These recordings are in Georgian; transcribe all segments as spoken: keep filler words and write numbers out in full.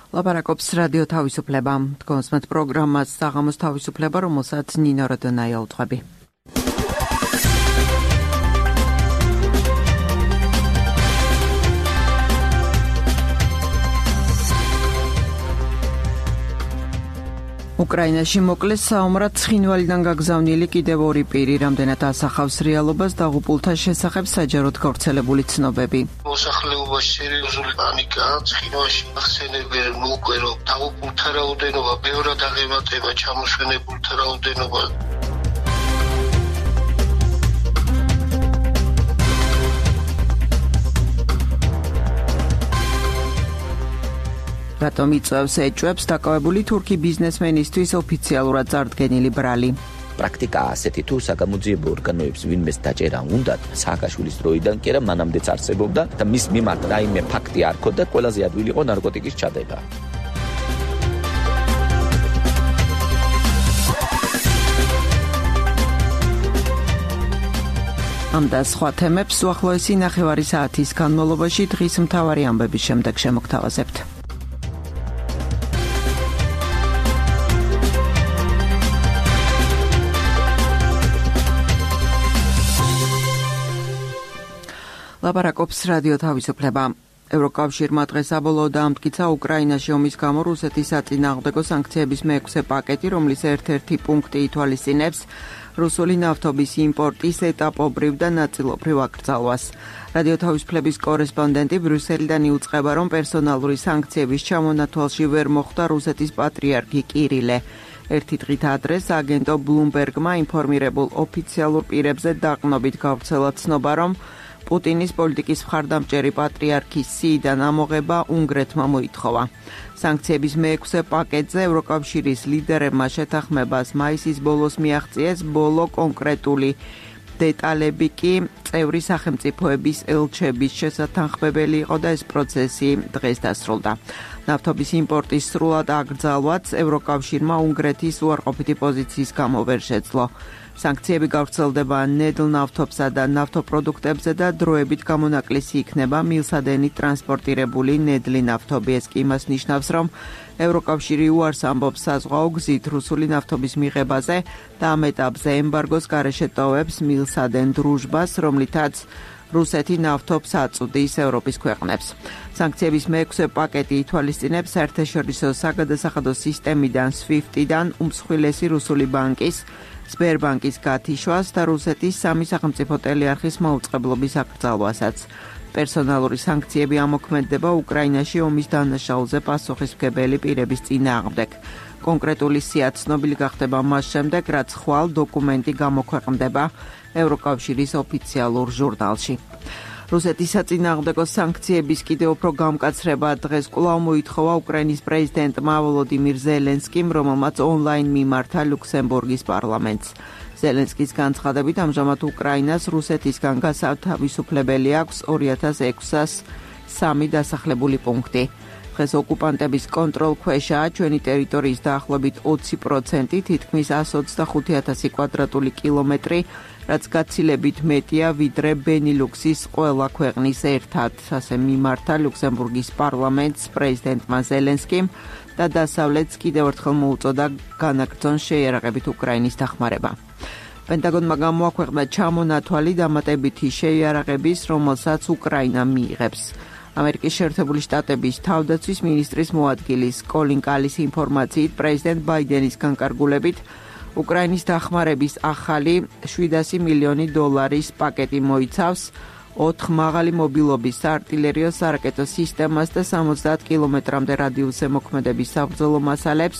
ლაპარაკობს რადიო თავისუფლება. თქვენს პროგრამას საღამოს თავისუფლება, რომელსაც ნინო როდონაია უძღვები. უკრაინაში მოკლეს საომრად ცხინვალიდან გაგზავნილი კიდევ ორი პირი, რამდენად ასახავს რეალობას დაღუპულთა შესახებ საჯაროდ გავრცელებული ცნობები. მოსახლეობაში სერიოზული პანიკაა, ცხინვალში ახსენებენ უკვე რომ დაღუპულთა რაოდენობა ბევრად აღემატება ჩამოშენებულთა რაოდენობა. რატომ იწევს ეჭვებს დაკავებული თურქი ბიზნესმენისთვის ოფიციალურად წარდგენილი ბრალი? პრაქტიკაა ასეთი, თუ საგამოძიებო ორგანოებს ვინმეს დაჭერა უნდათ, სააკაშვილის დროიდან კი არა მანამდეც არსებობდა და მის მიმართ რაიმე ფაქტი არ ქონდა, ყველაზე ადვილი იყო ნარკოტიკის ჩადება. ამ და სხვა თემებს უახლოესი ნახევარი საათის განმავლობაში დღის მთავარი ამბების შემდეგ შემოგთავაზებთ. ლაპარაკობს რადიო თავისუფლება. ევროკავშირმა დღეს საბოლოოდ ამტკიცა უკრაინაში ომის გამო რუსეთის საწინააღმდეგო სანქციების მეექვსე პაკეტი, რომლის ერთ-ერთი პუნქტი ითვალისწინებს რუსული ნავთობის იმპორტის ეტაპობრივ და ნაწილობრივ აკრძალვას. რადიო თავისუფლების კორესპონდენტი ბრიუსელიდან იუწყება, რომ პერსონალური სანქციების ჩამონათვალში ვერ მოხვდა რუსეთის პატრიარქი კირილე. ერთი დღით ადრე აგენტო ბლუმბერგმა ინფორმირებულ ოფიციალურ პირებზე დაყნობით გავრცელა ცნობა, რომ პუტინის პოლიტიკის მხარდამჭერი პატრიარქის სიიდან ამოღება უნგრეთმა მოითხოვა. სანქციების მეექვსე პაკეტზე ევროკავშირის ლიდერებმა შეთანხმებას მაისის ბოლოს მიაღწიეს, ბოლო კონკრეტული დეტალები კი წევრი სახელმწიფოების ელჩების შესათანხმებელი იყო და ეს პროცესი დღეს დასრულდა. ნავთობის იმპორტის სრულად აკრძალვაც ევროკავშირმა უნგრეთის უარყოფითი პოზიციის გამო ვერ შეძლო. სანქციები გავრცელდება ნედლ ნავთობსა და ნავთობპროდუქტებზე და დროებით გამონაკლისი იქნება მილსადენი ტრანსპორტირებული ნედლი ნავთობი. ეს კი იმას ნიშნავს, რომ ევროკავშირი უარს ამბობს საზღვაო გზით რუსული ნავთობის მიღებაზე და ამ ეტაპზე ემბარგოს გარეშე ტოვებს მილსადენ დრუჟბას, რომლითაც რუსეთი ნავთობს აწვდის ევროპის ქვეყნებს. სანქციების მეექვსე პაკეტი ითვალისწინებს საერთაშორისო საგადასახადო სისტემიდან სვიფტიდან უმსხვილესი რუსული ბანკის სბერბანკის გათიშვას და რუსეთის სამი სახელმწიფო ტელეარხის მაუწყებლობის აკრძალვასაც. პერსონალური სანქციები ამოქმედდება უკრაინაში ომის დანაშაულზე პასუხისმგებელი პირების წინააღმდეგ. კონკრეტული სია ცნობილი გახდება მას შემდეგ, რაც ხვალ დოკუმენტი გამოქვეყნდება ევროკავშირის ოფიციალურ ჟურნალში. რუსეთის საწინააღმდეგო სანქციების კიდევ უფრო გამკაცრება დღეს კვლავ მოითხოვა უკრაინის პრეზიდენტმა ვოლოდიმირ ზელენსკიმ, რომელმაც ონლაინ მიმართა ლუქსემბურგის პარლამენტს. ზელენსკის განცხადებით, ამჟამად უკრაინას რუსეთისგან გასათავისუფლებელი აქვს ორი ათას ექვსას სამი დასახლებული პუნქტი. დღეს ოკუპანტების კონტროლქვეშაა ჩვენი ტერიტორიის დაახლოებით ოცი პროცენტი, თითქმის ასი ოცდახუთი ათასი კვადრატული კილომეტრი, რაც გაცილებით მეტია ვიდრე ბენილუქსის ყველა ქვეყნის ერთად. ასე მიმართა ლუქსემბურგის პარლამენტს პრეზიდენტმა ზელენსკიმ და დასავლეთს კიდევ ერთხელ მოუწოდა განაგრძონ შეიარაღებით უკრაინის დახმარება. პენტაგონმა გამოაქვეყნა ჩამონათვალი დამატებითი შეიარაღების, რომელსაც უკრაინა მიიღებს. ამერიკის შეერთებული შტატების თავდაცვის მინისტრის მოადგილის კოლინ კალის ინფორმაციით, პრეზიდენტ ბაიდენის განკარგულებით უკრაინის დახმარების ახალი შვიდასი მილიონი დოლარის პაკეტი მოიცავს ოთხ მაღალი მობილობის საარტილერიო სარაკეტო სისტემას და სამოცდაათ კილომეტრამდე რადიუსზე მოქმედების საბრძოლო მასალებს,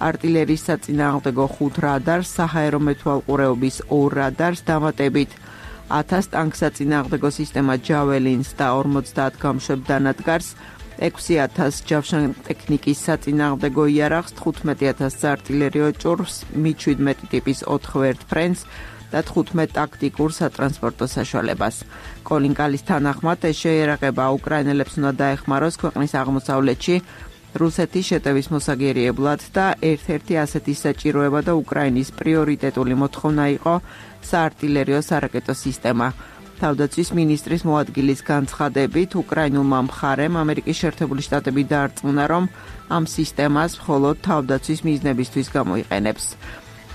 არტილერიის საწინააღმდეგო ხუთ რადარს, საჰაერო მეთვალყურეობის ორ რადარს, დამატებით ათას ტანკსაწინააღმდეგო სისტემა ჯაველინს და ორმოცდაათ გამშვებ დანადგარს, ექვსი ათას ჯავშან ტექნიკის საწინააღმდეგო იარაღს, თხუთმეტი ათას საარტილერიო ჭურვს, მი შვიდმეტი ტიპის ოთხ ვერტფრენს და თხუთმეტ ტაქტიკურ სატრანსპორტო საშუალებას. კოლინ კალის თანახმად, ეს შეიარაღება უკრაინელებს უნდა დაეხმაროს ქვეყნის აღმოსავლეთში რუსეთის შეტევის მოსაგერიებლად და ერთ-ერთი ასეთი საჭიროება და უკრაინის პრიორიტეტული მოთხოვნა იყო საარტილერიო სარაკეტო სისტემა. თავდაცვის მინისტრის მოადგილის განცხადებით, უკრაინულმა მხარემ ამერიკის შეერთებული შტატები დაარწმუნა, რომ ამ სისტემას მხოლოდ თავდაცვის მიზნებისთვის გამოიყენებს.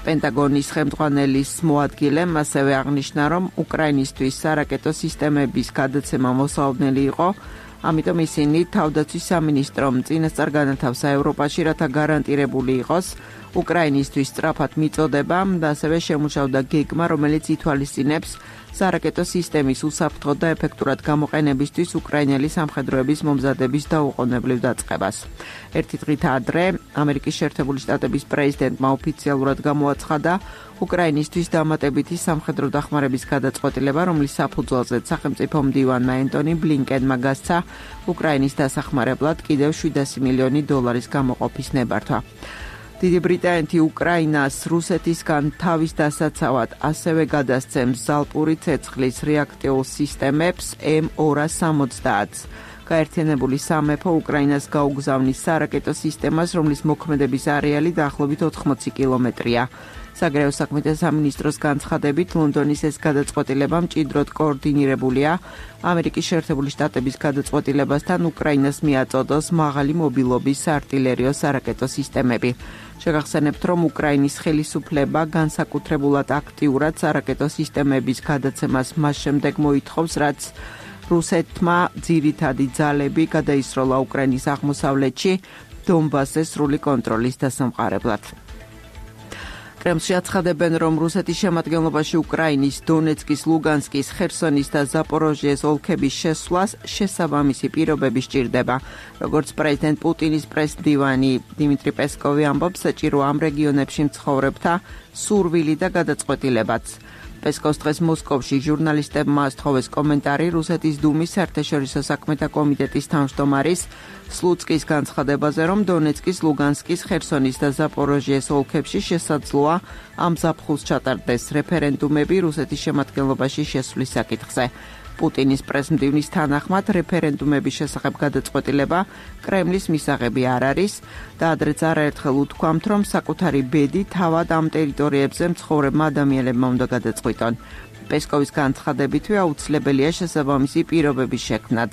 პენტაგონის ხელმძღვანელის მოადგილემ ასევე აღნიშნა, რომ უკრაინისთვის სარაკეტო სისტემების გადაცემა მოსალოდნელი იყო, ამიტომ ისინი თავდაცვის სამინისტრომ წინასწარ განათავსა ევროპაში, რათა გარანტირებული იყოს უკრაინისთვის სწრაფად მიწოდება და ასევე შემუშავდა გეგმა, რომელიც ითვალისწინებს სარაკეტო სისტემის უსაფრთხო და ეფექტურად გამოყენებისთვის უკრაინელი სამხედროების მომზადების დაუყოვნებლივ დაწყებას. ერთი დღით ადრე ამერიკის შეერთებული შტატების პრეზიდენტმა ოფიციალურად გამოაცხადა უკრაინისთვის დამატებითი სამხედრო დახმარების გადაწყვეტილება, რომლის საფუძველზეც სახელმწიფო მდივანმა ენტონი ბლინკენმა გასცა უკრაინის დასახმარებლად კიდევ შვიდასი მილიონი დოლარის გამოყოფის ნებართვა. დიდი ბრიტანეთი უკრაინას რუსეთისგან თავის დასაცავად ასევე გადასცემს ზალპური ცეცხლის რეაქტიულ სისტემებს ემ ორას სამოცდაათს. გაერთიანებული სამეფო უკრაინას გაუგზავნის სარაკეტო სისტემას, რომლის მოქმედების არეალი დაახლოებით ოთხმოცი კილომეტრია. საგარეო საქმეთა სამინისტროს განცხადებით, ლონდონის ეს გადაწყვეტილება მჭიდროდ კოორდინირებულია ამერიკის შეერთებული შტატების გადაწყვეტილებასთან უკრაინას მიაწოდოს მაღალი მობილობის საარტილერიო სარაკეტო სისტემები. შეგახსენებთ, რომ უკრაინის ხელისუფლება განსაკუთრებულად აქტიურად სარაკეტო სისტემების გადაცემას მას შემდეგ მოითხოვს, რაც რუსეთმა ძირითადი ძალები გადაისროლა უკრაინის აღმოსავლეთში დონბასზე სრული კონტროლის დასამყარებლად. კრემლში აცხადებენ, რომ რუსეთის შემადგენლობაში უკრაინის დონეცკის, ლუგანსკის, ხერსონის და ზაპოროჟიეს ოლქების შესვლას შესაბამისი პირობები სჭირდება. როგორც პრეზიდენტ პუტინის პრესდივანი დიმიტრი პესკოვი ამბობს, საჭირო ამ რეგიონებში მცხოვრებთა სურვილი და გადაწყვეტილებაც. პესკოვს დღეს მოსკოვში ჟურნალისტებმა ასთხოვეს კომენტარი რუსეთის დუმის საერთაშორისო საქმეთა კომიტეტის თავმჯდომარის სლუცკის განცხადებაზე, რომ დონეცკის, ლუგანსკის, ხერსონის და ზაპოროჟიეს ოლქებში შესაძლოა ამ ზაფხულს ჩატარდეს რეფერენდუმები რუსეთის შემადგენლობაში შესვლის საკითხზე. პუტინის პრესმდივნის თანახმად რეფერენდუმების შესახებ გადაწყვეტილება კრემლის მისაღები არ არის და ადრეც არაერთხელ უთქვამთ, რომ საკუთარი ბედი თავად ამ ტერიტორიებზე მცხოვრებმა ადამიანებმა უნდა გადაწყვიტონ. პესკოვის განცხადებითვე აუცილებელია შესაბამისი პირობების შექმნაც.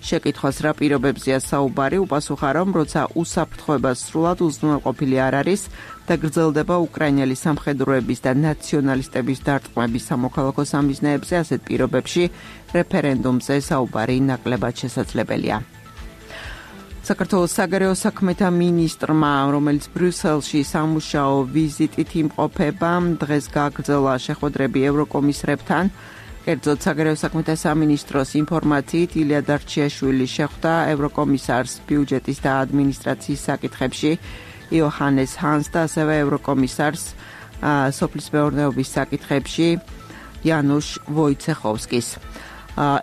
შეკითხვას რა პირობებზეა საუბარი, უპასუხა, რომ როცა უსაფრთხოება სრულად უზრუნველყოფილი არ არის და გრძელდება უკრაინელი სამხედროების და ნაციონალისტების დარტყმების სამოქალაქო სამიზნეებზე, ასეთ პირობებში რეფერენდუმზე საუბარი ნაკლებად შესაძლებელია. საქართველოს საგარეო საქმეთა მინისტრმა, რომელიც ბრიუსელში სამუშაო ვიზიტით იმყოფება, დღეს გააგრძელა შეხვედრები ევროკომისრებთან. კერძოდ საგარეო საქმეთა სამინისტროს ინფორმაციით, ილია დარჩიაშვილი შეხვდა ევროკომისარს ბიუჯეტის და ადმინისტრაციის საკითხებში იოჰანეს ჰანს და ასევე ევროკომისარს სოფლის მეურნეობის საკითხებში იანუშ ვოიცეხოვსკის.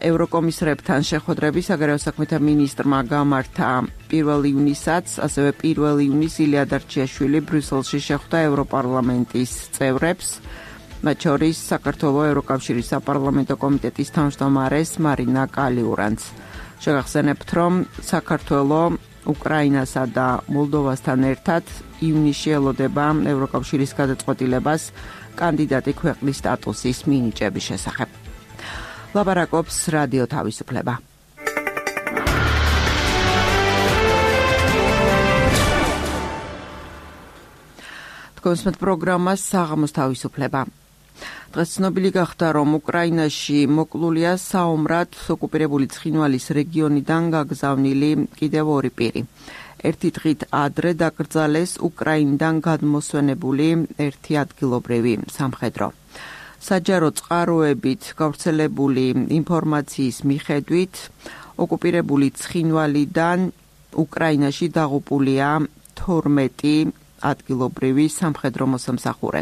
ევროკომისრებთან შეხვედრები საგარეო საქმეთა მინისტრმა გამართა პირველ ივნისაც, ასევე პირველ ივნისს ილია დარჩიაშვილი ბრიუსელში შეხვდა ევროპარლამენტის წევრებს, მათ შორის საქართველოს ევროკავშირის საპარლამენტო კომიტეტის თავმჯდომარეს მარინა კალიურანს. შეგახსენებთ, რომ საქართველოს უკრაინასა და მოლდოვასთან ერთად ივნისში ელოდება ევროკავშირის გადაწყვეტილებას კანდიდატი ქვეყნის სტატუსის მინიჭების შესახებ. ლაპარაკობს რადიო თავისუფლება. თქვენს პროგრამას საღამოს თავისუფლება. დღეს ცნობილი გახდა, რომ უკრაინაში მოკლულია საომრად ოკუპირებული ცხინვალის რეგიონიდან გაგზავნილი კიდევ ორი პირი. ერთი დღით ადრე დაკრძალეს უკრაინიდან გადმოსვენებული ერთი ადგილობრივი სამხედრო. საჯარო წყაროებით გავრცელებული ინფორმაციის მიხედვით, ოკუპირებული ცხინვალიდან უკრაინაში დაღუპულია თორმეტი ადგილობრივი სამხედრო მოსამსახურე.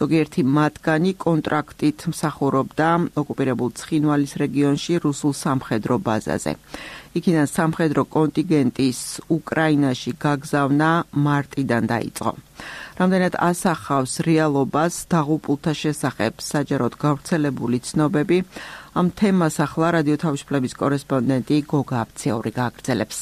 ზოგიერთი მათგანი კონტრაქტით მსახურობდა ოკუპირებულ ცხინვალის რეგიონში რუსულ სამხედრო ბაზაზე. იქიდან სამხედრო კონტინგენტის უკრაინაში გაგზავნა მარტიდან დაიწყო. რამდენად ასახავს რეალობას დაღუპულთა შესახებ საჯაროდ გავრცელებული ცნობები, ამ თემას ახლა რადიო თავისუფლების კორესპონდენტი გოგა აფციური გააგრძელებს.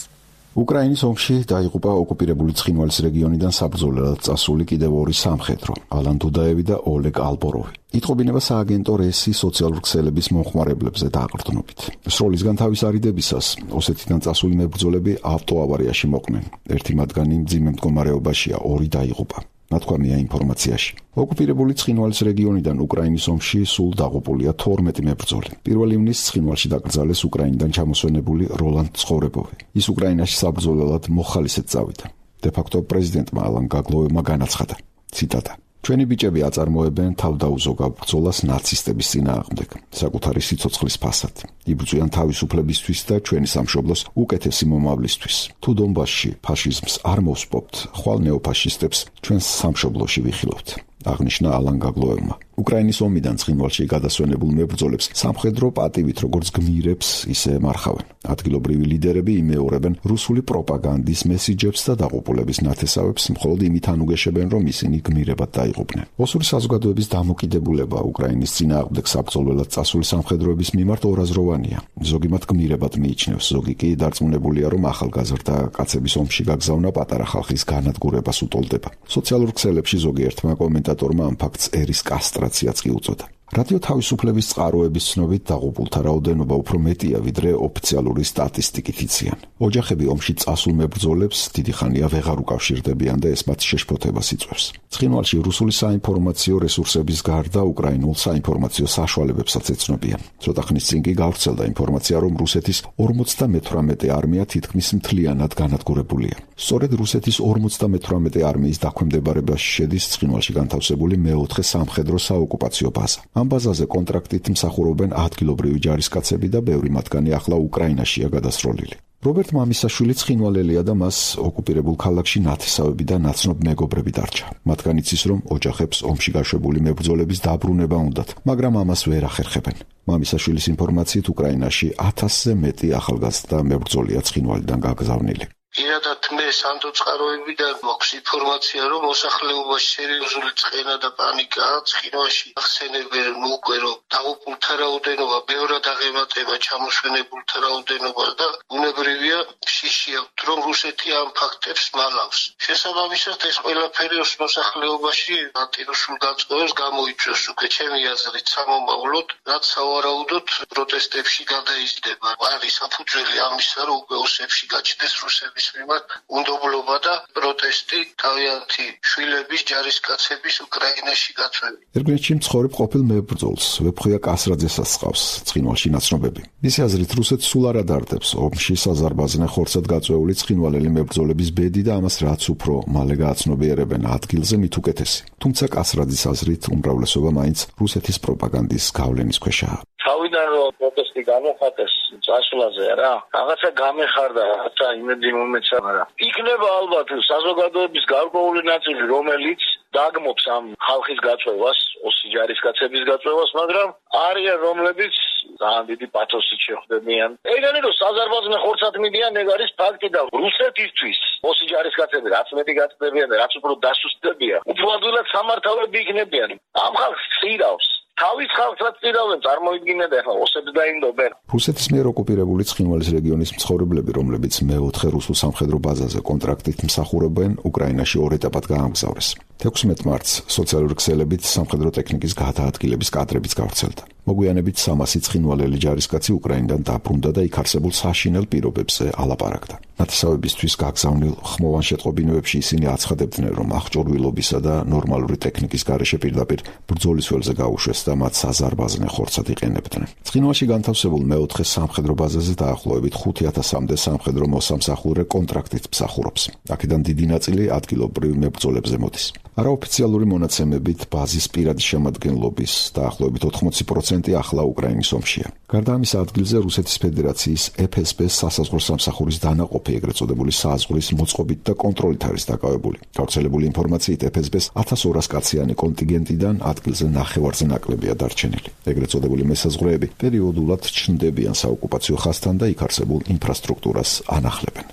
უკრაინის ომში დაიღუპა ოკუპირებული ცხინვალის რეგიონიდან საბრძოლველად წასული კიდევ ორი სამხედრო, ალან დუდაევი და ოლეგ ალბოროვი. იტყობინება სააგენტო რესი სოციალური ქსელების მომხმარებლებზე დაყრდნობით. სროლისგან თავის არიდებისას ოსეთიდან წასული მებრძოლები ავტოავარიაში მოყნენ. ერთი მათგანი მძიმე მდგომარეობაშია, ორი დაიღუპა. ნათქვამია ინფორმაციაში. ოკუპირებული ცხინვალის რეგიონიდან უკრაინის ომში სულ დაღუპულია თორმეტი მებრძოლი. პირველ ივნისს ცხინვალში დაკრძალეს უკრაინიდან ჩამოსვენებული როლანდ ცხოვრებოვი. ის უკრაინაში საბრძოლველად მოხალისედ წავიდა. დე-ფაქტო პრეზიდენტმა ალან გაგლოევმა განაცხადა. ციტატა: ჩვენი ბიჭები აწარმოებენ თავდაუზოგავ ბრძოლას ნაცისტების წინააღმდეგ, საკუთარი სიცოცხლის ფასად. იბრძვიან თავისუფლებისთვის და ჩვენი სამშობლოს უკეთესი მომავლისთვის. თუ დონბასში ფაშიზმს არ მოვსპობთ, ხვალ ნეოფაშისტებს ჩვენს სამშობლოში ვიხილავთ. აღნიშნა ალან გაგლოევმა. უკრაინის ომიდან ცხინვალში გადასვენებულ მებრძოლებს სამხედრო პატივით როგორც გმირებს, ისე ემარხავენ. ადგილობრივი ლიდერები იმეორებენ რუსული პროპაგანდის მესიჯებს და დაღუპულების ნათესავებს მხოლოდ იმით ანუგეშებენ, რომ ისინი გმირებად დაიღუპნენ. ოსური საზოგადოების დამოკიდებულება უკრაინის წინააღმდეგ საბრძოლველად წასული სამხედროების მიმართ ორაზროვანია. ზოგი მათ გმირებად მიიჩნევს, ზოგი კი დარწმუნებულია, რომ ახალგაზრდა კაცების ომში გაგზავნა პატარა ხალხის განადგურებას უტოლდება. სოციალურ ქსელებში ზოგიერთმა კომენტატორმა ამ ფაქტს ერის კასტრაციაც კი უწოდა. რადიო თავისუფლების წყაროების ცნობით დაღუპულთა რაოდენობა უფრო მეტია, ვიდრე ოფიციალური სტატისტიკით იციან. ოჯახები ომში წასულ მებრძოლებს დიდი ხანია ვეღარ უკავშირდებიან და ეს მათ შეშფოთებას იწვევს. ცხინვალში რუსული საინფორმაციო რესურსების გარდა უკრაინულ საინფორმაციო საშუალებებსაც ეცნობიან. ცოტა ხნის წინ კი გავრცელდა ინფორმაცია, რომ რუსეთის ორმოცდამეთვრამეტე არმია თითქმის მთლიანად განადგურებულია. სწორედ რუსეთის ორმოცდამეთვრამეტე არმიის დაქვემდებარებაში შედის ცხინვალში განთავსებული მეოთხე სამხედრო საოკუპაციო ბაზა. ამ ბაზაზე კონტრაქტით მსახურობენ ადგილობრივი ჯარისკაცები და ბევრი მათგანი ახლა უკრაინაშია გადასროლილი. რობერტ მამისაშვილი ცხინვალელია და მას ოკუპირებულ ქალაქში ნათესავები და ნაცნობ მეგობრები დარჩა. მათგან იცის, რომ ოჯახებს ომში გაშვებული მებრძოლების დაბრუნება უნდათ, მაგრამ ამას ვერ ახერხებენ. მამისაშვილის ინფორმაციით უკრაინაში ათასზე მეტი ახალგაზრდა მებრძოლია ცხინვალიდან გაგზავნილი. Ირადად მე სანდო წყაროებიდან მაქვს ინფორმაცია, რომ მოსახლეობაში სერიოზული წყენა და პანიკაა. ცხინვალში ახსენებენ უკვე, რომ დაღუპულთა რაოდენობა ბევრად აღემატება ჩამოსვენებულთა რაოდენობას და ბუნებრივია შიში აქვთ, რომ რუსეთი ამ ფაქტებს მალავს. შესაბამისად ეს ყველაფერი მოსახლეობაში ანტირუსულ გაწევას გამოიწვევს უკვე ჩემი აზრით სამომავლოდ, რაც სავარაუდოდ პროტესტებში გადაიზრდება. არის საფუძველი ამისა, რომ უკვე ოსებში გაჩნდეს რუსების მიმართ უნდობლობა და პროტესტი თავიანთი შვილების ჯარისკაცების უკრაინაში გაწვევი. ერგლეჩი მცხოვრებ ყოფილ მებრძოლს ვეფხვია კასრაძესაც ჰყავს ცხინვალში ნაცნობები. მისი აზრით რუსეთს სულ არ ადარდებს ომში საზარბაზნე ხორცად გაწვეული ცხინვალელი მებრძოლების ბედი და ამას რაც უფრო მალე გააცნობიერებენ ადგილზე მით უკეთესი. თუმცა კასრაძის აზრით უმრავლესობა მაინც რუსეთის პროპაგანდის გავლენის ქვეშაა. თავიდან რომ პროტესტი გამოხატეს წასვლაზე რა, რაღაცა გამეხარდა, რაღაცა იმედი მომეცა რა. იქნება ალბათ საზოგადოების გარკვეული ნაწილი, რომელიც დაგმობს ამ ხალხის გაწვევას, ოსი ჯარისკაცების გაწვევას, მაგრამ არიან რომლებიც ძალიან დიდი პათოსით შეხვდებიან. ეგენი რომ საზარბაზნე ხორცად მიდიან, ეგ არის ფაქტი და რუსეთისთვის ოსი ჯარისკაცები რაც მეტი გაწდებიან და რაც უფრო დასუსტდებიან, უფრო ადვილად სამართავები იქნებიან. ამ ხალხს ხირავს. თავის ხალხსაც წირავენ, წარმოიდგინეთ ახლა ოსებს დაინდობენ. რუსეთის მიერ ოკუპირებული ცხინვალის რეგიონის მცხოვრებლები, რომლებიც მეოთხე რუსულ სამხედრო ბაზაზე კონტრაქტით მსახურობენ, უკრაინაში ორ ეტაპად გაამგზავრეს. თექვსმეტ მარტს სოციალური ქსელებით სამხედრო ტექნიკის გადაადგილების კადრებიც გავრცელდა. მოგვიანებით სამასი ცხინვალელი ჯარისკაცი უკრაინიდან დაბრუნდა და იქ არსებულ საშინელ პირობებზე ალაპარაკდა. ნათესავებისთვის გაგზავნილ ხმოვან შეტყობინებებში ისინი აცხადებდნენ, რომ აღჭურვილობისა და ნორმალური ტექნიკის გარეშე პირდაპირ ბრძოლის ველზე გაუშვეს და მათ საზარბაზნე ხორცად იყენებდნენ. ცხინვალში განთავსებულ მეოთხე სამხედრო ბაზაზე დაახლოებით ხუთი ათასამდე სამხედრო მოსამსახურე კონტრაქტით მსახურობს. აქედან დიდი ნაწილი ადგილობრივ მებრძოლებზე მოდის. არაოფიციალური მონაცემებით ბაზის პირადი შემადგენლობის დაახლოებით ოთხმოცი პროცენტი ახლა უკრაინის ომშია. გარდა ამისა ადგილზე რუსეთის ფედერაციის ეფ ეს ბე-ს სასაზღვრო სამსახურის დანაყოფი, ეგრეთ წოდებული საზღვრის მოწყობით და კონტროლით არის დაკავებული. გავრცელებული ინფორმაციით ეფ ეს ბე-ს ათას ორას კაციანი კონტინგენტიდან ადგილზე ნახევარზე ნაკლებია დარჩენილი. ეგრეთ წოდებული მესაზღვრეები პერიოდულად ჩნდებიან საოკუპაციო ხაზთან და იქ არსებულ ინფრასტრუქტურას ანახლებენ.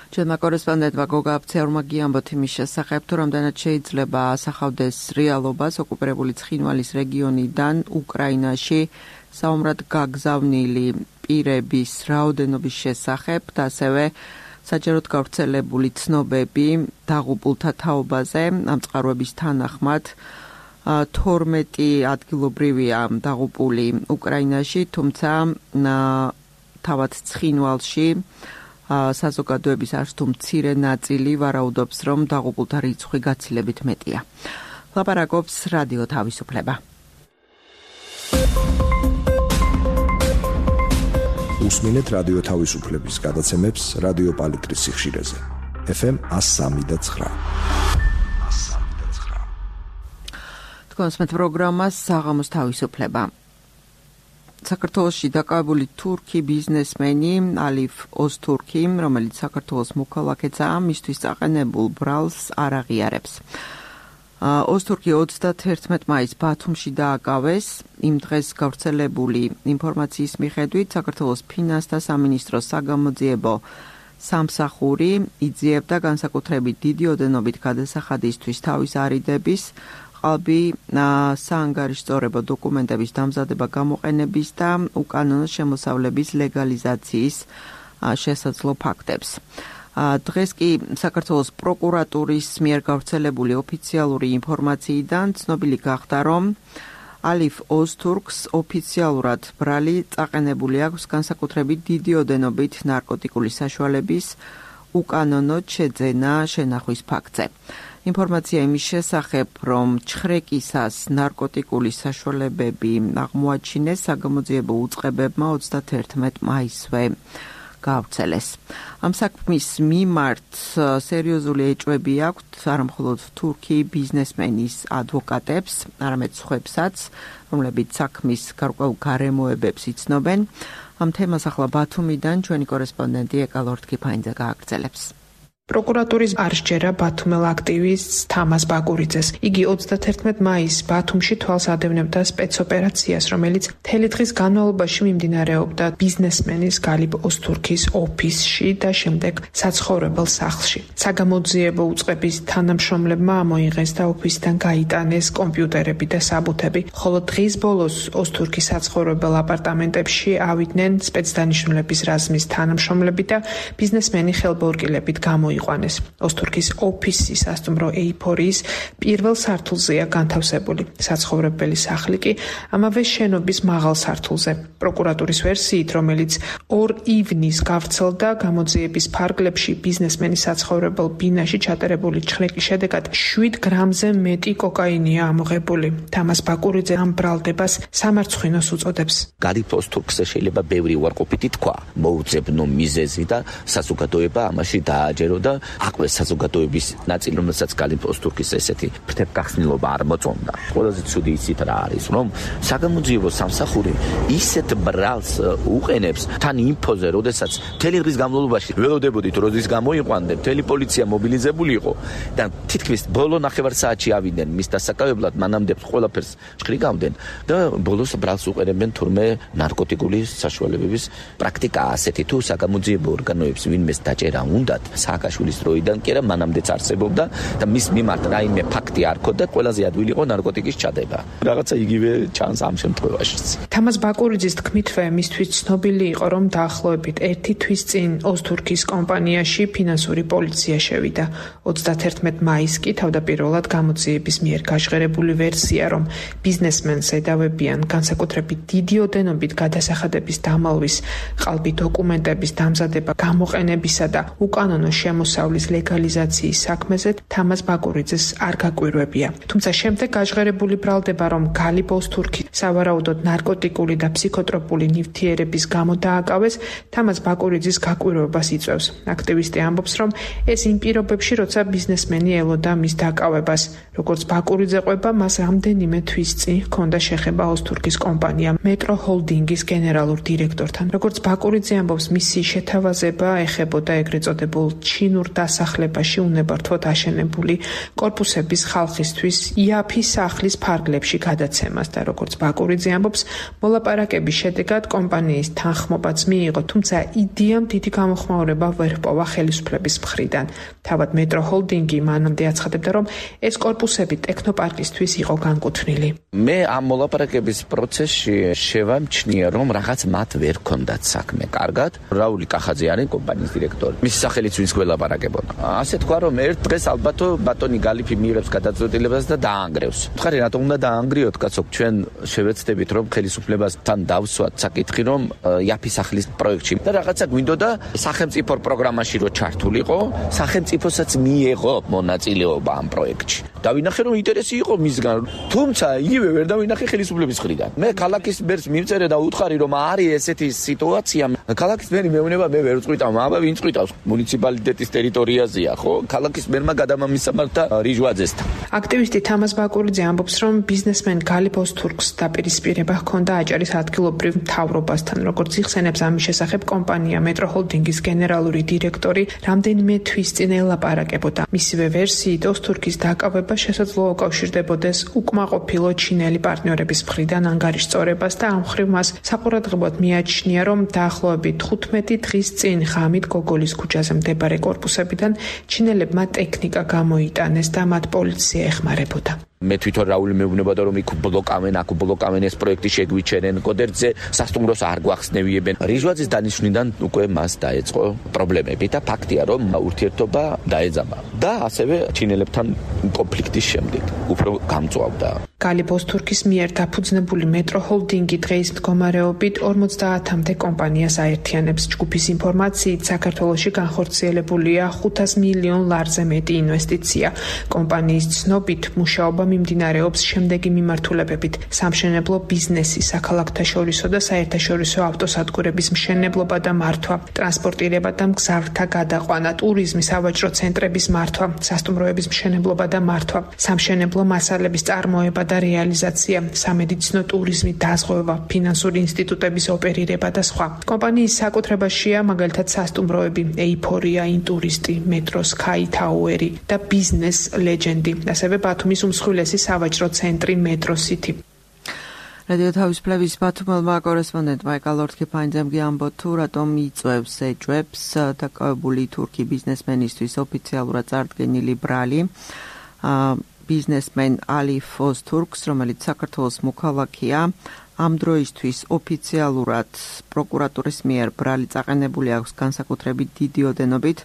ჩვენმა კორესპონდენტმა გოგა აფცეურმა გიამბოთ იმის შესახებ, თუ რამდენად შეიძლება ასახავდეს რეალობას ოკუპირებული ცხინვალის რეგიონიდან უკრაინაში საომრად გაგზავნილი პირების რაოდენობის შესახებ და ასევე საჯაროდ გავრცელებული ცნობები დაღუპულთა თაობაზე ამ წყაროების თანახმად თორმეტი ადგილობრივია დაღუპული უკრაინაში, თუმცა თავად ცხინვალში საზოგადოების არც თუ მცირე ნაწილი ვარაუდობს, რომ დაღუპულთა რიცხვი გაცილებით მეტია. ლაპარაკობს რადიო თავისუფლება. უსმინეთ რადიო თავისუფლების გადაცემებს რადიო პალიტრის სიხშირეზე. ეფ ემ one oh three point nine. თქვენს პროგრამას საღამოს თავისუფლება. საქართველოში დაკავებული თურქი ბიზნესმენი ალიფ ოზთურქი, რომელიც საქართველოს მოქალაქეა, მისთვის წაყენებულ ბრალს არ აღიარებს. ოზთურქი ოცდათერთმეტ მაისს ბათუმში დააკავეს. იმ დღეს გავრცელებული ინფორმაციის მიხედვით საქართველოს ფინანსთა სამინისტროს საგამოძიებო სამსახური იძიებდა განსაკუთრებით დიდი ოდენობით გადასახადისთვის თავის არიდების, ყალბი საანგარიშწორებო დოკუმენტების დამზადება გამოყენების და უკანონო შემოსავლების ლეგალიზაციის შესაძლო ფაქტებს. დღეს კი საქართველოს პროკურატურის მიერ გავრცელებული ოფიციალური ინფორმაციიდან ცნობილი გახდა, რომ ალიფ ოზთურქს ოფიციალურად ბრალი წაყენებული აქვს განსაკუთრებით დიდი ოდენობით ნარკოტიკული საშუალების უკანონოდ შეძენა შენახვის ფაქტზე. ინფორმაცია იმის შესახებ, რომ ჩხრეკისას ნარკოტიკული საშუალებები აღმოაჩინეს საგამოძიებო უწყებებმა ოცდათერთმეტ მაისსვე გავრცელეს. ამ საქმის მიმართ სერიოზული ეჭვები აქვთ არამხოლოდ თურქი ბიზნესმენის ადვოკატებს, არამედ სხვებსაც, რომლებიც საქმის გარკვეულ გარემოებებს იცნობენ. ამ თემას ახლა ბათუმიდან ჩვენი კორესპონდენტი ეკალორთქიფაინძე გააგრძელებს. პროკურატურის არსჯერა ბათუმელ აქტივისტს თამას ბაკურიძეს. იგი ოცდათერთმეტ მაისს ბათუმში თვალს ადევნებდა სპეცოპერაციას, რომელიც მთელი დღის განმავლობაში მიმდინარეობდა ბიზნესმენის გალიფ ოზთურქის ოფისში და შემდეგ საცხოვრებელ სახლში. საგამოძიებო უწყების თანამშრომლებმა ამოიღეს და ოფისიდან გაიტანეს კომპიუტერები და საბუთები, ხოლო დღის ბოლოს ოზთურქის საცხოვრებელ აპარტამენტებში ავიდნენ სპეცდანიშნულების რაზმის თანამშრომლები და ბიზნესმენი ხელბორკილებით გამოიყენეს. იყვანეს. ოზთურქის ოფისის სასტუმრო ეიფორიის პირველ სართულზეა განთავსებული. საცხოვრებელი სახლი კი ამავე შენობის მაღალ სართულზე. პროკურატურის ვერსიით, რომელიც ორ ივნის გავრცელდა, გამოძიების ფარგლებში ბიზნესმენის საცხოვრებელ ბინაში ჩატარებული ჩხრეკის შედეგად შვიდ გრამზე მეტი კოკაინია ამოღებული. თამას ბაკურიძე ამ ბრალდებას სამარცხვინოს უწოდებს. გალიფ ოზთურქს შეიძლება ბევრი უარყოფითი თქვა, მოუძებნო მიზეზი და საზოგადოება ამაში დააჯერო და აკვეს საზოგადოების ნაწილი, რომელსაც გალიფ ოზთურქის ესეთი ფრთებგახსნილობა არ მოწონდა. ყველაზე ცუდი იცით რა არის, რომ საგამოძიებო სამსახური ისეთ ბრალს უყენებს თან ინფოზე, როდესაც მთელი დღის განმავლობაში ველოდებოდით, როდის გამოიყვანდნენ, მთელი პოლიცია მობილიზებული იყო და თითქმის ბოლო ნახევარ საათში ავიდნენ მის დასაკავებლად, მანამდე ყველაფერს ჭრიგავდნენ და ბოლოს ბრალს უყენებენ თურმე ნარკოტიკული საშუალებების პრაქტიკა ასეთი თუ საგამოძიებო ორგანოებს ვინმეს დაჭერა უნდათ სააკაშვილის დროიდან კი არა მანამდეც არსებობდა და მის მიმართ რაიმე ფაქტი არ ქონდა, ყველაზე ადვილი იყო ნარკოტიკის ჩადება. რაღაცა იგივე ჩანს ამ შემთხვევაშიც. თამას ბაკურიძის თქმითვე მისთვის ცნობილი იყო, რომ დაახლოებით ერთი თვის წინ ოზთურქის კომპანიაში ფინანსური პოლიცია შევიდა. ოცდათერთმეტ მაისს კი თავდაპირველად გამოძიების მიერ გაჟღერებული ვერსია, რომ ბიზნესმენს ედავებიან განსაკუთრებით დიდი ოდენობით გადასახადების დამალვის, ყალბი დოკუმენტების დამზადება, გამოყენებისა და უკანონო შემოსავლის ლეგალიზაციის საქმეზე თამას ბაკურიძეს არ გაკვირვებია. თუმცა შემდეგ გაჟღერებული ბრალდება, რომ გალიფ ოზთურქი სავარაუდოდ ნარკოტიკული და ფსიქოტროპული ნივთიერების გამო დააკავეს, თამას ბაკურიძის გაკვირვებას იწვევს. აქტივისტი ამბობს, რომ ეს იმ პირობებში, როცა ბიზნესმენი ელოდა მის დაკავებას. როგორც ბაკურიძე ყვება, მას რამდენიმე თვის წინ ჰქონდა შეხება ოზთურქის კომპანია მეტრო ჰოლდინგის გენერალურ დირექტორთან. როგორც ბაკურიძე ამბობს, მისი შეთავაზება ეხებოდა ეგრეთ წოდებულ ჩინურ ჩინურ დასახლებაში უნებართვოდ აშენებული კორპუსების ხალხისთვის იაფის სახლის ფარგლებში გადაცემას და როგორც ბაკურიძე ამბობს, მოლაპარაკების შედეგად კომპანიის თანხმობაც მიიღო, თუმცა იდეამ დიდი გამოხმაურება ვერ ჰპოვა ხელისუფლების მხრიდან. თავად მეტრო ჰოლდინგი მანამდე აცხადებდა, რომ ეს კორპუსები ტექნოპარკისთვის იყო განკუთვნილი. მე ამ მოლაპარაკების პროცესში შევამჩნია, რომ რაღაც მათ ვერ ჰქონდათ საქმე კარგად. რაული კახაძე არის კომპანიის დირექტორი. მისი სახელიც ვინც გველაპარაკებოდა. ასე თქვა, რომ ერთ დღეს ალბათ ბატონი გალიფი მიიღებს გადაწყვეტილებას და დაანგრევს. ხარი რატომ უნდა დაანგრიოთ, კაცო? ჩვენ შევეცდებით, რომ ხელისუფლებასთან დავსვათ საკითხი, რომ იაფის სახლის პროექტში და რაღაცა გვინდოდა სახელმწიფო პროგრამაში რო ჩართულიყო, სახელმწიფოსაც მიეღო მონაწილეობა ამ პროექტში. დავინახე, რომ ინტერესი იყო მისგან, თუმცა იგივე ვერ დავინახე ხელისუფლების მხრიდან. მე ქალაქის მერს მიმწერე და უთხარი, რომ არის ესეთი სიტუაცია. ქალაქის მერი მეუბნება, მე ვერ წვიტავ, აბა ვინ წვიტავს? მუნიციპალიტეტის ტერიტორიაზეა, ხო? ქალაქის მერმა გადამამისამართა რიჟვაძესთან. აქტივისტი თამაზ ბაკურიძე ამბობს, რომ ბიზნესმენ გალი ბოსთურქს დაპირისპირება ჰქონდა აჭარის ადგილობრივ მთავრობასთან, როგორც იხსენებს ამის შესახებ კომპანია მეტრო ჰოლდინგის გენერალური დირექტორი რამდენიმე თვის წინ ელაპარაკებოდა. მისივე ვერსიით ოსთურქის დაკავება შესაძლოა უკავშირდებოდეს უკმაყოფილო ჩინელი პარტნიორების მხრიდან ანგარიშწორებას და ამ მხრივ მას საყურადღებოდ მიაჩნია, რომ დაახლოებით თხუთმეტი დღის წინ ღამით გოგოლის ქუჩაზე მდებარე კორპუსებიდან ჩინელებმა ტექნიკა გამოიტანეს და მათ პოლიცია ეხმარებოდა. მე თვითონ რაული მეუბნებოდა, რომ იქ ბლოკავენ, აქ ბლოკავენ, ეს პროექტი შეგვიჩერენ, კოდერძე სასტუმროს არ გვახსნევიებენ. რიჟვაძის დანიშვნიდან უკვე მას დაეწყო პრობლემები და ფაქტია, რომ ურთიერთობა დაეძაბა და ასევე ჩინელებთან კონფლიქტის შემდეგ უფრო გამწვავდა. გალი ბოსთურქის მიერ დაფუძნებული მეტრო ჰოლდინგი დღეის მდგომარეობით ორმოცდაათამდე კომპანიას აერთიანებს. ჯგუფის ინფორმაციით, საქართველოში განხორციელებულია ხუთას მილიონ ლარზე მეტი ინვესტიცია. კომპანიის ცნობით, მუშაობა მიმდინარეობს შემდეგი მიმართულებებით: სამშენებლო ბიზნესი, საქალაქთაშორისო და საერთაშორისო ავტოსადგურების მშენებლობა და მართვა, ტრანსპორტირება და მგზავრთა გადაყვანა, ტურიზმი, სავაჭრო ცენტრების მართვა, სასტუმროების მშენებლობა და მართვა, სამშენებლო მასალების წარმოება და რეალიზაცია, სამედიცინო ტურიზმი, დაზღვევა, ფინანსური ინსტიტუტების ოპერირება და სხვა. კომპანიის საკუთრებაშია მაგალითად სასტუმროები ეიფორია, ინტურისტი, მეტრო სკაი თაუერი და ბიზნეს ლეჯენდი, ასევე ბათუმის უმსხვილესი სავაჭრო ცენტრი მეტრო სიტი. რადიო თავისუფლების ბათუმელმა კორესპონდენტმა ეკალორთ ქიფაინძემ ამბო თუ რატომ იწვევს ეჭვებს დაკავებული თურქი ბიზნესმენისთვის ოფიციალურად წარდგენილი ბრალი ბიზნესმენ ალი ოსთურქს, რომელიც საქართველოს მოქალაქეა, ამ დროისთვის ოფიციალურად პროკურატურის მიერ ბრალი წაყენებული აქვს განსაკუთრებით დიდი ოდენობით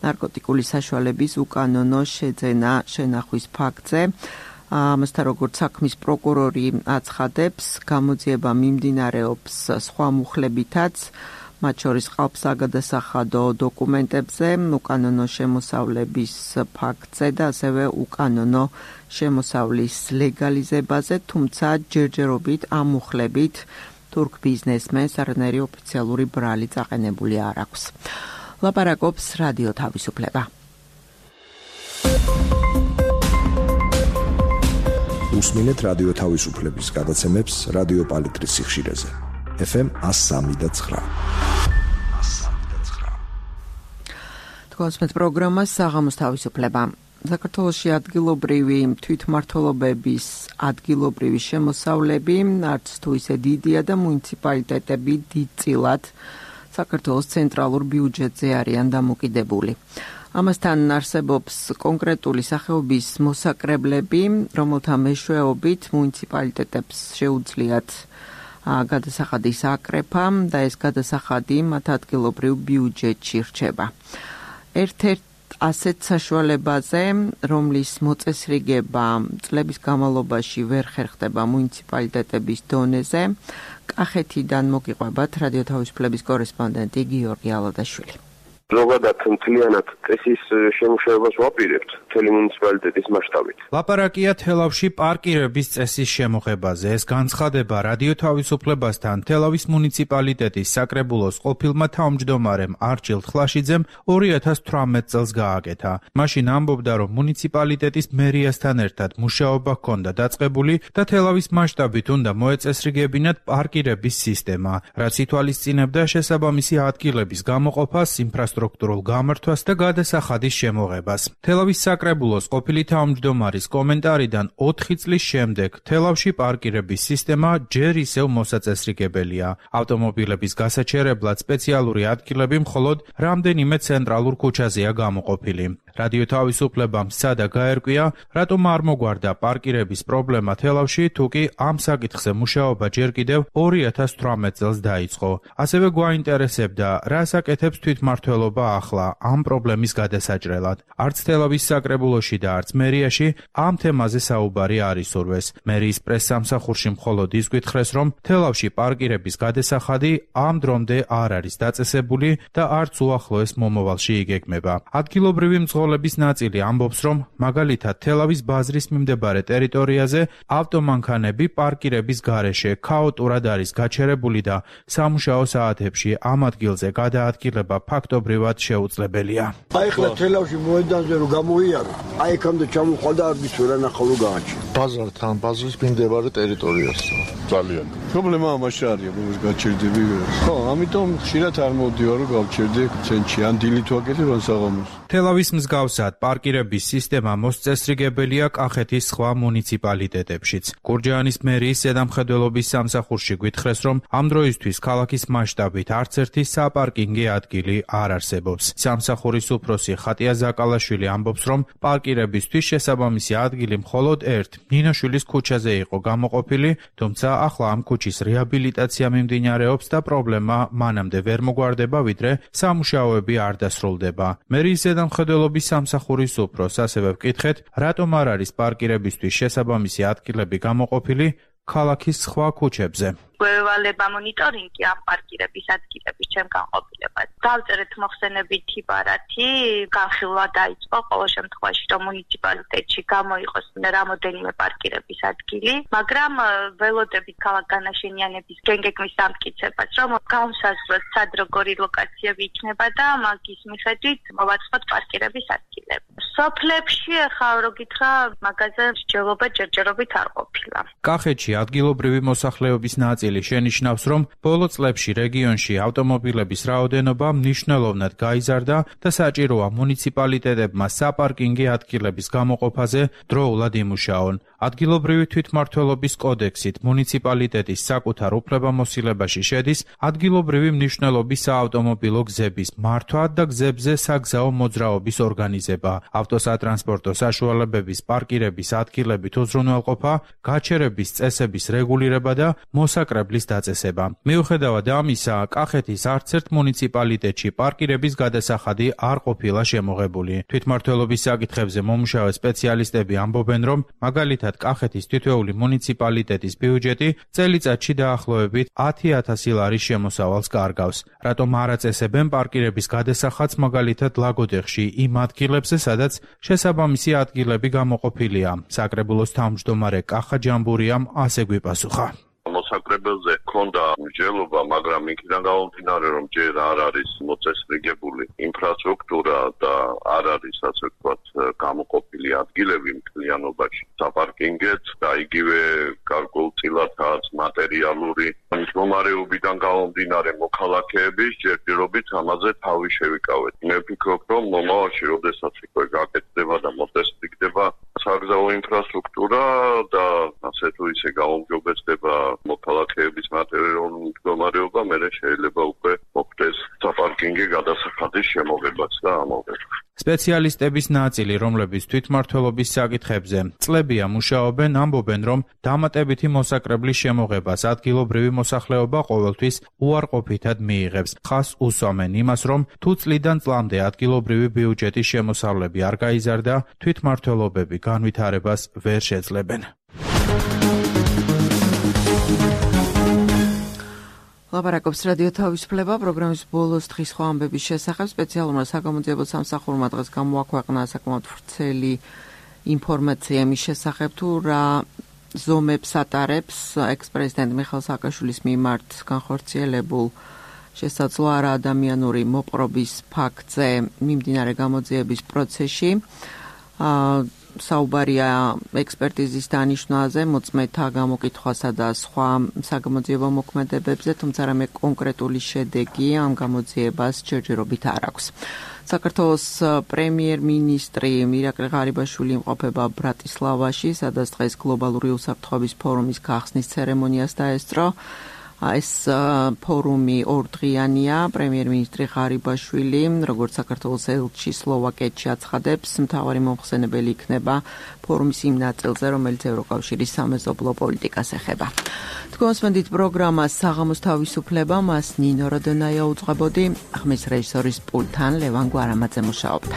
ნარკოტიკული საშუალების უკანონო შეძენა შენახვის ფაქტზე. ამასთან როგორც საქმის პროკურორი აცხადებს, გამოძიება მიმდინარეობს სხვა მუხლებითაც, მათ შორის ყავს საგადასახადო დოკუმენტებზე, უკანონო შემოსავლების ფაქტზე და ასევე უკანონო შემოსავლის ლეგალიზებაზე, თუმცა ჯერჯერობით ამ მუხლებით თურქ ბიზნესმენს არანაირი ოფიციალური ბრალი წაყენებული არ აქვს. ლაპარაკობს რადიო თავისუფლება. უსმინეთ რადიო თავისუფლების გადაცემებს რადიო პალიტრის სიხშირეზე. ეფ ემ one oh three და nine. თქვენს პროგრამა საღამოს თავისუფლება. საქართველოში ადგილობრივი თვითმმართველობების ადგილობრივი შემოსავლები არც თუ ისე დიდია და მუნიციპალიტეტები დიდწილად საქართველოს ცენტრალურ ბიუჯეტზე არიან დამოკიდებული. ამასთან არსებობს კონკრეტული სახეობის მოსაკრებლები, რომელთა მეშვეობით მუნიციპალიტეტებს შეუძლიათ გადასახადის აკრეფა და ეს გადასახადი მათ ადგილობრივ ბიუჯეტში რჩება. ერთ-ერთ ასეთ საშუალებაზე, რომლის მოწესრიგება წლების განმავლობაში ვერ ხერხდება მუნიციპალიტეტების დონეზე, კახეთიდან მოგიყვებათ რადიო თავისუფლების კორესპონდენტი გიორგი ალადაშვილი. ზოგადად მთლიანად წესის შემუშავებას ვაპირებთ მთელი მუნიციპალიტეტის მასშტაბით. ლაპარაკია თელავში პარკირების წესის შემოღებაზე. ეს განცხადება რადიო თავისუფლებასთან თელავის მუნიციპალიტეტის საკრებულოს ყოფილმა თავმჯდომარემ არჩილ ხლაშიძემ ორი ათას თვრამეტ წელს გააკეთა. მაშინ ამბობდა, რომ მუნიციპალიტეტის მერიასთან ერთად მუშაობა ჰქონდა დაწყებული და თელავის მასშტაბით უნდა მოეწესრიგებინათ პარკირების სისტემა, რაც ითვალისწინებდა შესაბამისი ადგილების გამოყოფას, ინფრასტრუქტურის სტრუქტურულ გამართვას და გადასახადის შემოღებას. თელავის საკრებულოს ყოფილი თავმჯდომარის კომენტარიდან ოთხი წლის შემდეგ თელავში პარკირების სისტემა ჯერ ისევ მოსაწესრიგებელია. ავტომობილების გასაჩერებლად სპეციალური ადგილები მხოლოდ რამდენიმე ცენტრალურ ქუჩაზეა გამოყოფილი. რადიო თავისუფლებამ სცადა გაერკვია, რატომ არ მოგვარდა პარკირების პრობლემა თელავში, თუკი ამ საკითხზე მუშაობა ჯერ კიდევ ორი ათას თვრამეტ წელს დაიწყო. ასევე გვაინტერესებდა, რას აკეთებს თვითმმართველობა ახლა ამ პრობლემის გადასაჭრელად. არც თელავის საკრებულოში და არც მერიაში ამ თემაზე საუბარი არ ისურვეს. მერიის პრესსამსახურში მხოლოდ ის გვითხრეს, რომ თელავში პარკირების გადასახადი ამ დრომდე არ არის დაწესებული და არც უახლოეს მომავალში იგეგმება. ადგილობრივი მძღოლების ნაწილი ამბობს, რომ მაგალითად თელავის ბაზრის მიმდებარე ტერიტორიაზე ავტომანქანები პარკირების გარეშე ქაოტურად არის გაჩერებული და სამუშაო საათებში ამ ადგილზე გადაადგილება ფაქტობრივად შეუძლებელია. აი ხლა თელავში მოედანზე რომ გამოიარო, აი იქამდე ჩამოხვალ და არ გისურა ნახავრო გააჩი. ბაზართან, ბაზრის მიმდებარე ტერიტორიასთან. ძალიან. პრობლემა ამაში არის, რომ გაჩერდები. ხო, ამიტომ ხშირად არ მოვდივარ რომ გავჩერდე ცენტრში, ან დილით ვაკეთებ ან საღამოს. თელავის მსგავსად პარკირების სისტემა მოსწესრიგებელია კახეთის სხვა მუნიციპალიტეტებშიც. გურჯაანის მერიის ზედამხედველობის სამსახურში გვითხრეს, რომ ამ დროისთვის ქალაქის მასშტაბით არც ერთი საპარკინგე ადგილი არ არსებობს. სამსახურის უფროსი ხატია ზაკალაშვილი ამბობს, რომ პარკირებისთვის შესაბამისი ადგილი მხოლოდ ერთ მინაშვილის ქუჩაზე იყო გამოყოფილი, თუმცა ახლა ამ ქუჩის რეაბილიტაცია მიმდინარეობს და პრობლემა მანამდე ვერ მოგვარდება, ვიდრე სამუშაოები არ დასრულდება. მერიის ზედამხედველობის სამსახურის უფროს ასევე ვკითხეთ, რატომ არ არის პარკირებისთვის შესაბამისი ადგილები გამოყოფილი ქალაქის სხვა ქუჩებზე. გვევალება მონიტორინგი ამ პარკირების ადგილების ჩემ განყოფილებად. დავწერეთ მოხსენებითი ბარათი, განხილვა დაიწყო ყოველ შემთხვევაში, რომ მუნიციპალიტეტში გამოიყოს რამოდენიმე პარკირების ადგილი, მაგრამ ველოდებით ქალაქ განაშენიანების გენგეგმის ამტკიცებას, რომ განსაზღვროთ სად როგორი ლოკაციები იქნება და მაგის მიხედვით მოვაწყოთ პარკირების ადგილები. სოფლებში ახლა რო გითხრა, მაგაზე მსჯელობა ჯერჯერობით არ ყოფილა. კახეთში ადგილობრივი მოსახლეობის ნაწილი შენიშნავს, რომ ბოლო წლებში რეგიონში ავტომობილების რაოდენობა მნიშვნელოვნად გაიზარდა და საჭიროა მუნიციპალიტეტებმა საპარკინგე ადგილების გამოყოფაზე დროულად იმუშაონ. ადგილობრივი თვითმმართველობის კოდექსით მუნიციპალიტეტის საკუთარ უფლებამოსილებაში შედის ადგილობრივი მნიშვნელობის საავტომობილო გზების მართვა და გზებზე საგზაო მოძრაობის ორგანიზება, ავტოსატრანსპორტო საშუალებების პარკირების ადგილებით უზრუნველყოფა, გაჩერების წესების რეგულირება და მოსაკრებლის დაწესება. მიუხედავად ამისა, კახეთის არც ერთ მუნიციპალიტეტში პარკირების გადასახადი არ ყოფილა შემოღებული. თვითმმართველობის საკითხებზე მომუშავე სპეციალისტები ამბობენ, რომ მაგალითად კახეთის თითოეული მუნიციპალიტეტის ბიუჯეტი წელიწადში დაახლოებით ათი ათასი ლარის შემოსავალს კარგავს. რატომ არ აწესებენ პარკირების გადასახადს მაგალითად ლაგოდეხში იმ ადგილებზე, სადაც შესაბამისი ადგილები გამოყოფილია? საკრებულოს თავმჯდომარე კახა ჯამბურიამ ასე გვიპასუხა. მოსაკრებელზე ქონდა მსჯელობა, მაგრამ იქიდან გამომდინარე, რომ ჯერ არ არის მოწესრიგებული ინფრასტრუქტურა და არ არის, ასე ვთქვათ, გამოყოფილი ადგილები მთლიანობაში საპარკინგეთ და იგივე გარკვეულწილადაც მატერიალური მდგომარეობიდან გამომდინარე მოქალაქეების ჯერჯერობით ამაზე თავი შევიკავეთ. მე ვფიქრობ, რომ მომავალში, როდესაც უკვე გაკეთდება და მოწესრიგდება საგზაო ინფრასტრუქტურა და ასე თუ ისე გაუმჯობესდება მოქალაქეების მატერიალური მდგომარეობა, მერე შეიძლება უკვე მოხდეს საპარკინგე გადასახადის შემოღებაც და ამოღება. სპეციალისტების ნაწილი, რომლებიც თვითმმართველობის საკითხებზე წლებია მუშაობენ, ამბობენ, რომ დამატებითი მოსაკრებლის შემოღებას ადგილობრივი მოსახლეობა ყოველთვის უარყოფითად მიიღებს. ხას უსვამენ იმას, რომ თუ წლიდან წლამდე ადგილობრივი ბიუჯეტის შემოსავლები არ გაიზარდა, თვითმმართველობები განვითარებას ვერ შეძლებენ. ლაპარაკობს რადიო თავისუფლება პროგრამის ბოლოს დღის სხვა ამბების შესახებ. სპეციალურმა საგამოძიებო სამსახურმა დღეს გამოაქვეყნა საკმაოდ ვრცელი ინფორმაცია იმის შესახებ, თუ რა ზომებს ატარებს ექს-პრეზიდენტ მიხეილ სააკაშვილის მიმართ განხორციელებულ შესაძლო არაადამიანური მოპყრობის ფაქტზე მიმდინარე გამოძიების პროცესში. საუბარია ექსპერტიზის დანიშვნაზე, მოწმეთა გამოკითხვასა და სხვა საგამოძიებო მოქმედებებზე, თუმცა რამე კონკრეტული შედეგი ამ გამოძიებას ჯერჯერობით არ აქვს. საქართველოს პრემიერ-მინისტრი მირაკლი ღარიბაშვილი იმყოფება ბრატისლავაში, სადაც დღეს გლობალური უსაფრთხოების ფორუმის გახსნის ცერემონიას დაესწრო. ეს ფორუმი ორდღიანია. პრემიერ-მინისტრი ღარიბაშვილი, როგორც საქართველოს ელჩი სლოვაკეთში აცხადებს, მთავარი მომხსენებელი იქნება ფორუმის იმ ნაწილზე, რომელიც ევროკავშირის სამეზობლო პოლიტიკას ეხება. თქვენსმენდით პროგრამას საღამოს თავისუფლება, მას ნინო როდონაია უძღვებოდი, ხმის რეჟისორის პულტთან ლევან გვარამაძე მუშაობდა.